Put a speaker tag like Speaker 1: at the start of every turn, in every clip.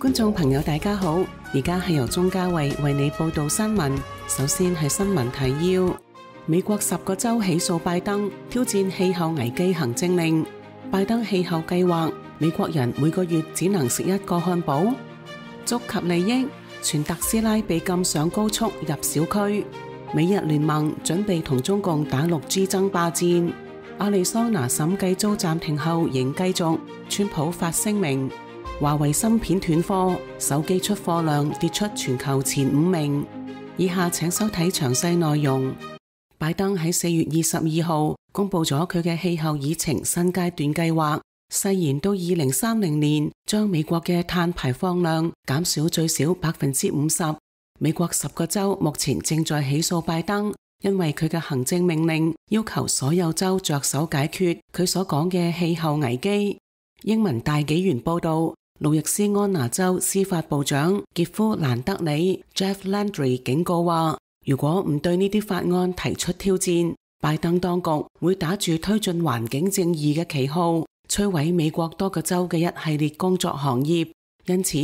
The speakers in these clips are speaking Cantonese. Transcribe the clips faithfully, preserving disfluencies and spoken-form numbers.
Speaker 1: 觀眾朋友大家好，而家係由鍾嘉慧為你報道新聞。首先係新聞提要：美國十個州起訴拜登，挑戰氣候危機行政令。拜登氣候計劃，美國人每個月只能食一個漢堡。觸及利益，全特斯拉被禁上高速入小區。美日聯盟準備同中共打六 G 爭霸戰。亞利桑那審計遭暫停後仍繼續。川普發聲明。華為芯片斷貨，手機出貨量跌出全球前五名。以下請收睇詳細內容。拜登喺四月二十二號公布咗佢嘅氣候議程新階段計劃，誓言到二零三零年將美國嘅碳排放量減少最少百分之五十。美國十個州目前正在起訴拜登，因為佢嘅行政命令要求所有州着手解決佢所講嘅氣候危機。英文大紀元報道。路易斯安那州司法部長傑夫蘭德里 Jeff Landry 警告話，如果唔對呢啲法案提出挑戰，拜登當局會打住推進環境正義嘅旗號，摧毀美國多個州嘅一系列工作行業。因此，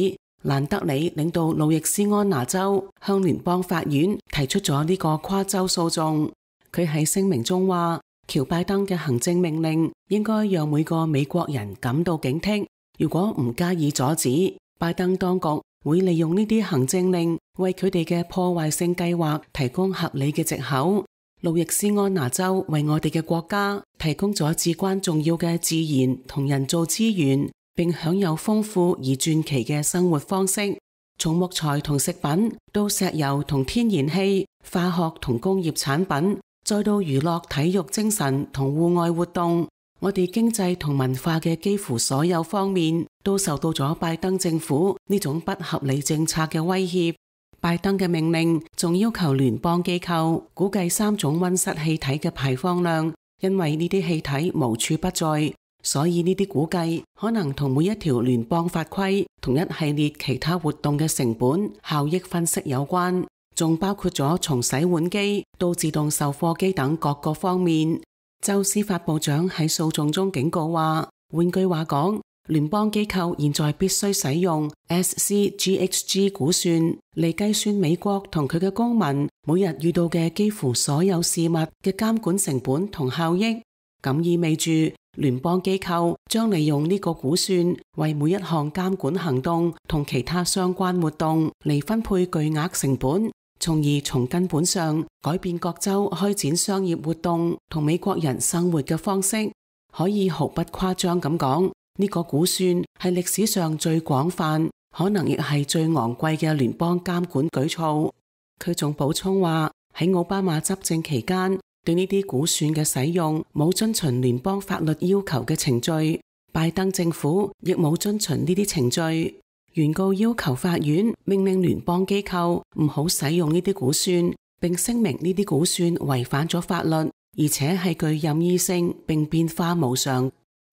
Speaker 1: 蘭德里領導路易斯安那州向聯邦法院提出咗呢個跨州訴訟。佢喺聲明中話，喬拜登嘅行政命令應該讓每個美國人感到警惕。如果唔加以阻止，拜登當局會利用呢啲行政令為佢哋嘅破壞性計劃提供合理嘅藉口。路易斯安那州為我哋嘅國家提供咗至關重要嘅自然同人造資源，並享有豐富而傳奇嘅生活方式，從木材同食品到石油同天然氣、化學同工業產品，再到娛樂、體育、精神同戶外活動。我哋經濟同文化嘅幾乎所有方面都受到咗拜登政府呢種不合理政策嘅威脅。拜登嘅命令仲要求聯邦機構估計三種溫室氣體嘅排放量，因為呢啲氣體無處不在，所以呢啲估計可能同每一條聯邦法規同一系列其他活動嘅成本效益分析有關，仲包括咗從洗碗機到自動售貨機等各個方面。州司法部長喺訴訟中警告話，換句話講，聯邦機構現在必須使用 S C G H G 估算嚟計算美國同佢嘅公民每日遇到嘅幾乎所有事物嘅監管成本同效益。咁意味住聯邦機構將利用呢個估算為每一項監管行動同其他相關活動嚟分配巨額成本，從而從根本上改變各州開展商業活動同美國人生活嘅方式。可以毫不誇張咁講，呢個估算係歷史上最廣泛，可能亦係最昂貴嘅聯邦監管舉措。佢仲補充話，喺奧巴馬執政期間，對呢啲估算嘅使用冇遵循聯邦法律要求嘅程序，拜登政府亦冇遵循呢啲程序。原告要求法院命令聯邦機構唔好使用呢啲估算，並聲明呢啲估算違反咗法律，而且係具任意性並變化無常。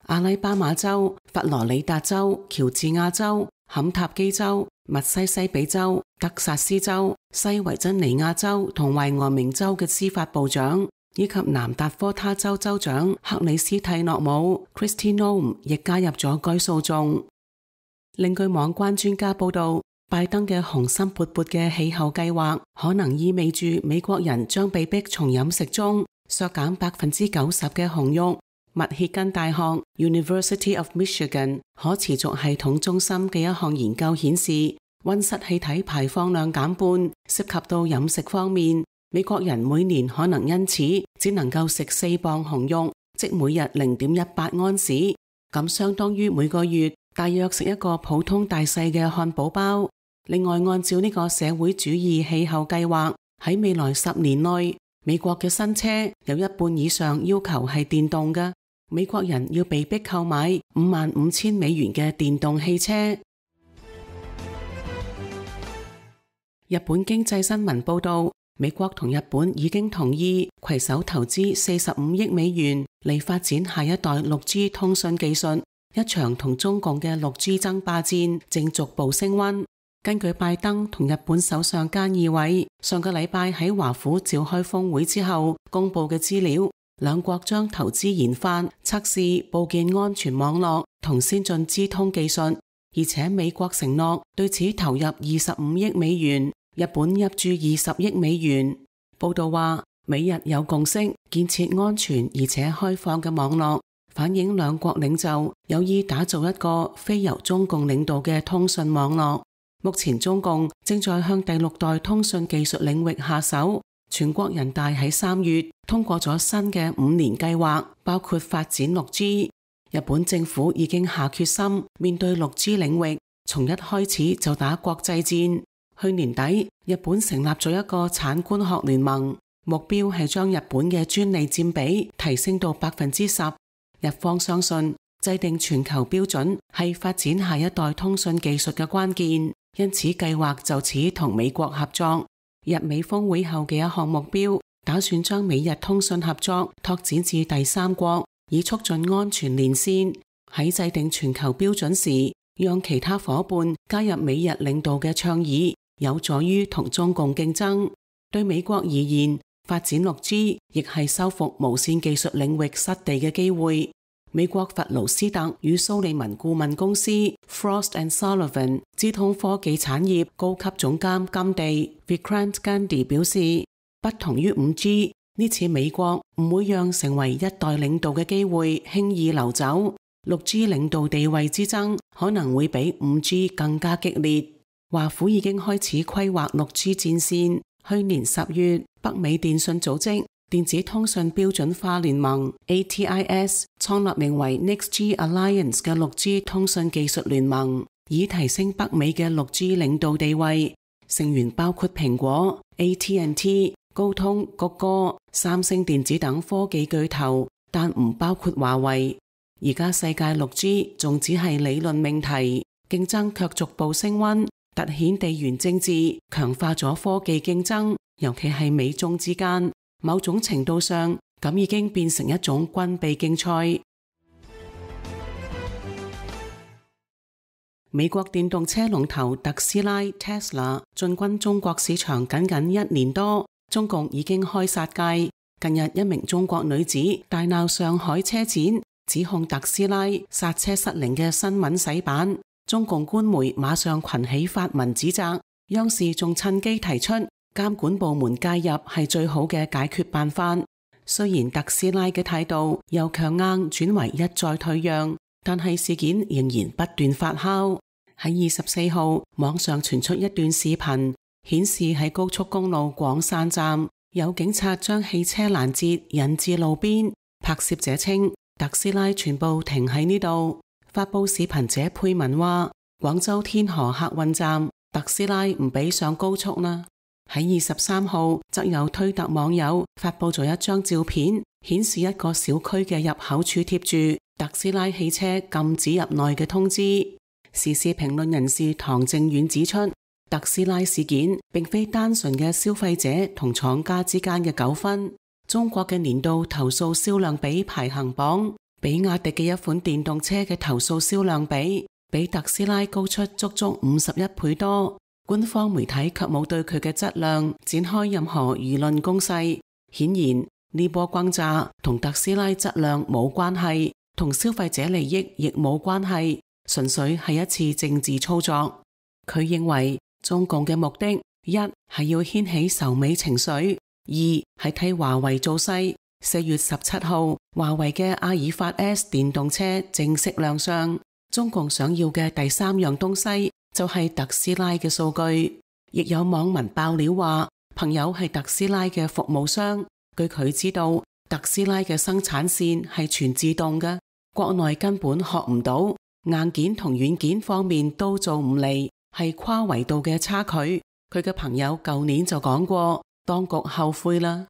Speaker 1: 阿拉巴馬州、佛羅里達州、喬治亞州、坎塔基州、密西西比州、德薩斯州、西維珍尼亞州同懷俄明州嘅司法部長，以及南達科他州州長克里斯蒂諾姆 Kristi Noem 亦加入咗該訴訟。另據網關專家報道，拜登嘅雄心勃勃嘅氣候計劃可能意味住美國人將被迫從飲食中削減百分之九十嘅紅肉。密歇根大學 University of Michigan 可持續系統中心嘅一項研究顯示，溫室氣體排放量減半，涉及到飲食方面，美國人每年可能因此只能夠食四磅紅肉，即每日零點一八安士，咁相當於每個月大約食一個普通大細嘅漢堡包。另外，按照呢個社會主義氣候計劃，喺未來十年內，美國嘅新車有一半以上要求係電動嘅。美國人要被迫購買五萬五千美元嘅電動汽車。日本經濟新聞報道，美國同日本已經同意攜手投資四十五億美元嚟發展下一代六 G 通訊技術。一場同中共嘅六 G 爭霸戰正逐步升溫。根據拜登同日本首相菅義偉上個禮拜喺華府召開峰會之後公布嘅資料，兩國將投資研發、測試部件安全網絡同先進資通技術，而且美國承諾對此投入二十五億美元，日本入注二十億美元。報道話，美日有共識建設安全而且開放嘅網絡，反映兩國領袖有意打造一個非由中共領導嘅通訊網絡。目前中共正在向第六代通訊技術領域下手。全國人大喺三月通過咗新嘅五年計劃，包括發展六 G。日本政府已經下決心面對六 G 領域，從一開始就打國際戰。去年底，日本成立咗一個產官學聯盟，目標係將日本嘅專利佔比提升到百分之十。日方相信制定全球標準係發展下一代通訊技術嘅關鍵，因此計劃就此同美國合作。日美峰會後嘅一項目標，打算將美日通訊合作拓展至第三國，以促進安全連線。喺制定全球標準時，讓其他夥伴加入美日領導嘅倡議，有助於同中共競爭。對美國而言，發展六 G 亦係修復無線技術領域失地嘅機會。美國佛勞斯特與蘇利文顧問公司 Frost and Sullivan 資通科技產業高級總監甘地 Vikrant Gandhi 表示，不同於五 G， 呢次美國唔會讓成為一代領導嘅機會輕易流走。六 G 領導地位之爭可能會比五 G 更加激烈。華府已經開始規劃六 G 戰線。去年十月，北美電信組織電子通訊標準化聯盟 A T I S 創立名為 Next G Alliance 嘅六 G 通訊技術聯盟，以提升北美嘅六 G 領導地位。成員包括蘋果、A T and T、高通、谷歌、三星電子等科技巨頭，但唔包括華為。而家世界六 G 仲只係理論命題，競爭卻逐步升溫，凸顯地緣政治，強化咗科技競爭，尤其係美中之間。某種程度上，咁已經變成一種軍備競賽。美國電動車龍頭特斯拉 Tesla 進軍中國市場僅僅一年多，中共已經開殺戒。近日一名中國女子大鬧上海車展，指控特斯拉剎車失靈嘅新聞洗版，中共官媒馬上群起發文指責，央視仲趁機提出監管部門介入係最好嘅解決辦法。雖然特斯拉嘅態度由強硬轉為一再退讓，但係事件仍然不斷發酵。喺二十四號，網上傳出一段視頻，顯示喺高速公路廣山站，有警察將汽車攔截引至路邊。拍攝者稱，特斯拉全部停喺呢度。發佈視頻者配文話：廣州天河客運站，特斯拉唔俾上高速啦。喺二十三號，則有推特網友發佈咗一張照片，顯示一個小區嘅入口處貼住特斯拉汽車禁止入內嘅通知。時事評論人士唐正遠指出，特斯拉事件並非單純嘅消費者同廠家之間嘅糾紛。中國嘅年度投訴銷量比排行榜，比亞迪嘅一款電動車嘅投訴銷量比比特斯拉高出足足五十一倍多。官方媒體卻冇對佢嘅質量展開任何輿論攻勢。顯然呢波轟炸同特斯拉質量冇關係，同消費者利益亦冇關係，純粹係一次政治操作。佢認為中共嘅目的，一係要掀起仇美情緒，二係替華為造勢。四月十七號，華為嘅阿爾法 S 電動車正式亮相。中共想要嘅第三樣東西就係特斯拉嘅數據。亦有網民爆料話，朋友係特斯拉嘅服務商，據佢知道，特斯拉嘅生產線係全自動嘅，國內根本學唔到，硬件同軟件方面都做唔嚟，係跨維度嘅差距。佢嘅朋友舊年就講過，當局後悔啦。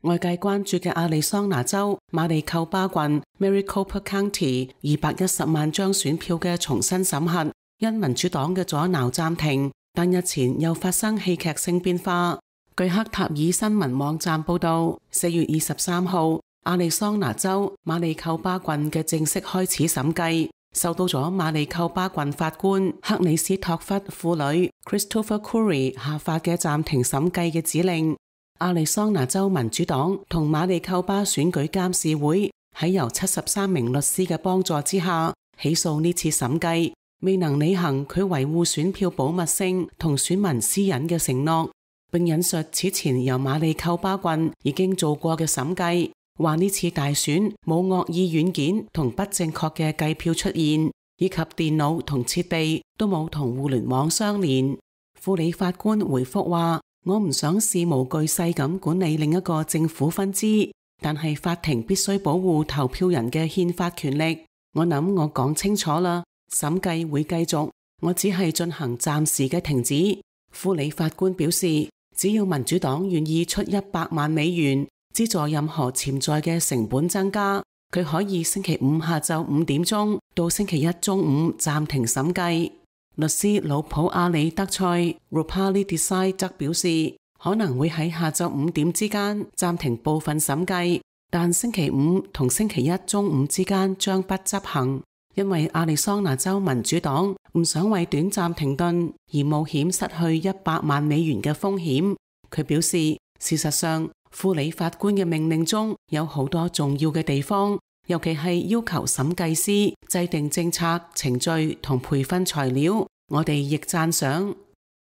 Speaker 1: 外界關注嘅亞利桑那州馬里寇巴郡 Maricopa County 二百一十萬張選票嘅重新審核，因民主黨嘅阻撓暫停，但日前又發生戲劇性變化。據克塔爾新聞網站報道，四月二十三號，亞利桑那州馬里寇巴郡嘅正式開始審計，受到咗馬里寇巴郡法官克里斯托弗父女 Christopher Curry 下發嘅暫停審計嘅指令。亞利桑那州民主黨同馬里寇巴選舉監事會喺由七十三名律師嘅幫助之下起訴呢次審計未能履行佢維護選票保密性同選民私隱嘅承諾，並引述此前由馬里寇巴郡已經做過嘅審計，話呢次大選冇惡意軟件同不正確嘅計票出現，以及電腦同設備都冇同互聯網相連。副理法官回覆話：我唔想事無巨細咁管理另一個政府分支，但係法庭必須保護投票人嘅憲法權力。我諗我講清楚啦，審計會繼續，我只係進行暫時嘅停止。副理法官表示，只要民主黨願意出一百萬美元資助任何潛在嘅成本增加，佢可以星期五下晝五點鐘到星期一中午暫停審計。律師魯普阿里德塞 Rupali Desai 則表示，可能會喺下晝五點之間暫停部分審計，但星期五同星期一中午之間將不執行，因為亞利桑那州民主黨唔想為短暫停頓而冒險失去一百萬美元嘅風險。佢表示，事實上副理法官嘅命令中有好多重要嘅地方，尤其係要求審計師制定政策、程序同培訓材料，我哋亦讚賞。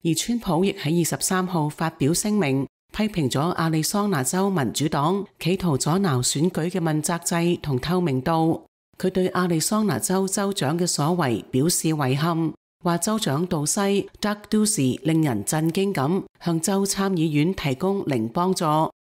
Speaker 1: 而川普亦喺二十三號發表聲明，批評咗亞利桑那州民主黨企圖阻撓選舉嘅問責制同透明度。佢對亞利桑那州州長嘅所為表示遺憾，話州長杜西 Doug Ducey 令人震驚咁向州參議院提供零幫助，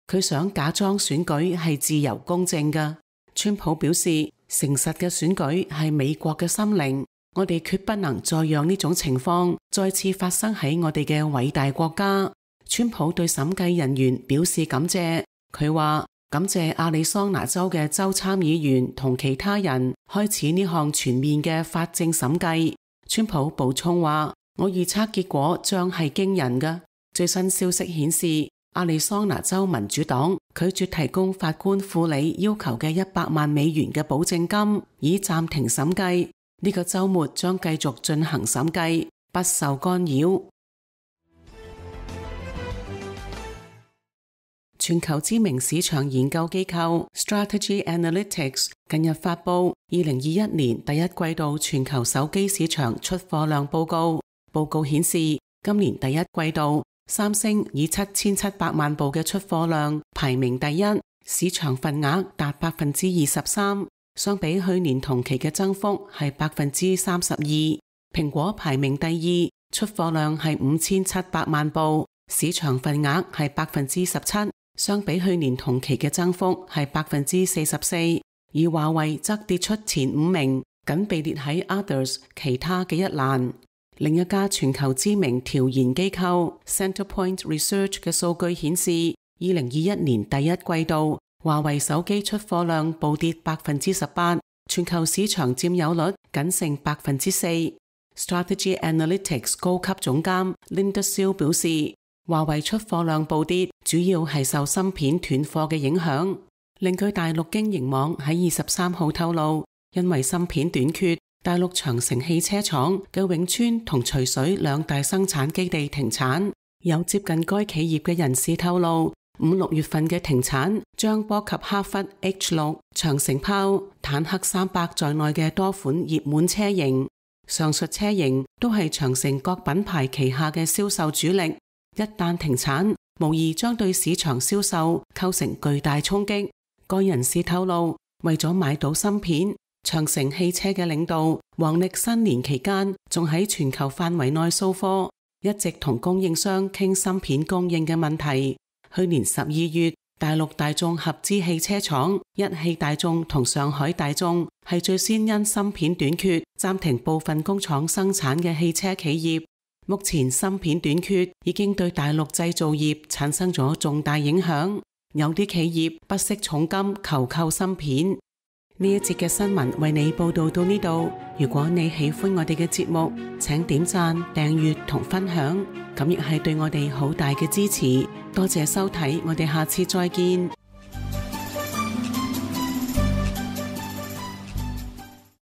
Speaker 1: 佢想假裝選舉係自由公正嘅。川普表示，誠實嘅選舉係美國嘅心靈，我哋決不能再讓呢種情況再次發生喺我哋嘅偉大國家。川普對審計人員表示感謝，佢話感謝亞利桑那州嘅州參議員同其他人開始呢項全面嘅法政審計。川普補充話，我預測結果將係驚人嘅。最新消息顯示，亞利桑那州民主黨拒絕提供法官副理要求嘅一百萬美元嘅保證金，以暫停審計。呢個週末將繼續進行審計，不受干擾。全球知名市場研究機構 Strategy Analytics 近日發布二零二一年第一季度全球手機市場出貨量報告。報告顯示，今年第一季度三星以七千七百萬部嘅出貨量排名第一，市場份額達百分之二十三，相比去年同期嘅增幅係百分之三十二。蘋果排名第二，出貨量係五千七百萬部，市場份額係百分之十七，相比去年同期嘅增幅係百分之四十四。而華為則跌出前五名，僅被列喺 Others 其他嘅一欄。另一家全球知名調研機構 Centerpoint Research 嘅數據顯示，二零二一年第一季度華為手機出貨量暴跌百分之十八，全球市場佔有率僅剩百分之四。Strategy Analytics 高級總監 Linda Seal 表示，華為出貨量暴跌主要係受芯片斷貨嘅影響。另據大陸經營網喺二十三號透露，因為芯片短缺，大陸長城汽車廠嘅永川同徐水兩大生產基地停產。有接近該企業嘅人士透露，五六月份嘅停產將波及哈弗 H 六、長城炮、坦克三百在內嘅多款熱門車型。上述車型都係長城各品牌旗下嘅銷售主力，一旦停產，無疑將對市場銷售構成巨大衝擊。該人士透露，為咗買到芯片，長城汽車嘅領導黃歷新年期間仲喺全球範圍內掃貨，一直同供應商傾芯片供應嘅問題。去年十二月，大陸大眾合資汽車廠一汽大眾同上海大眾係最先因芯片短缺暫停部分工廠生產嘅汽車企業。目前芯片短缺已經對大陸製造業產生咗重大影響，有啲企業不惜重金求購芯片。呢一節嘅新聞為你報道到呢度。如果你喜歡我哋嘅節目，請點讚、訂閱同分享，咁亦係對我哋好大嘅支持。多謝收睇，我哋下次再見。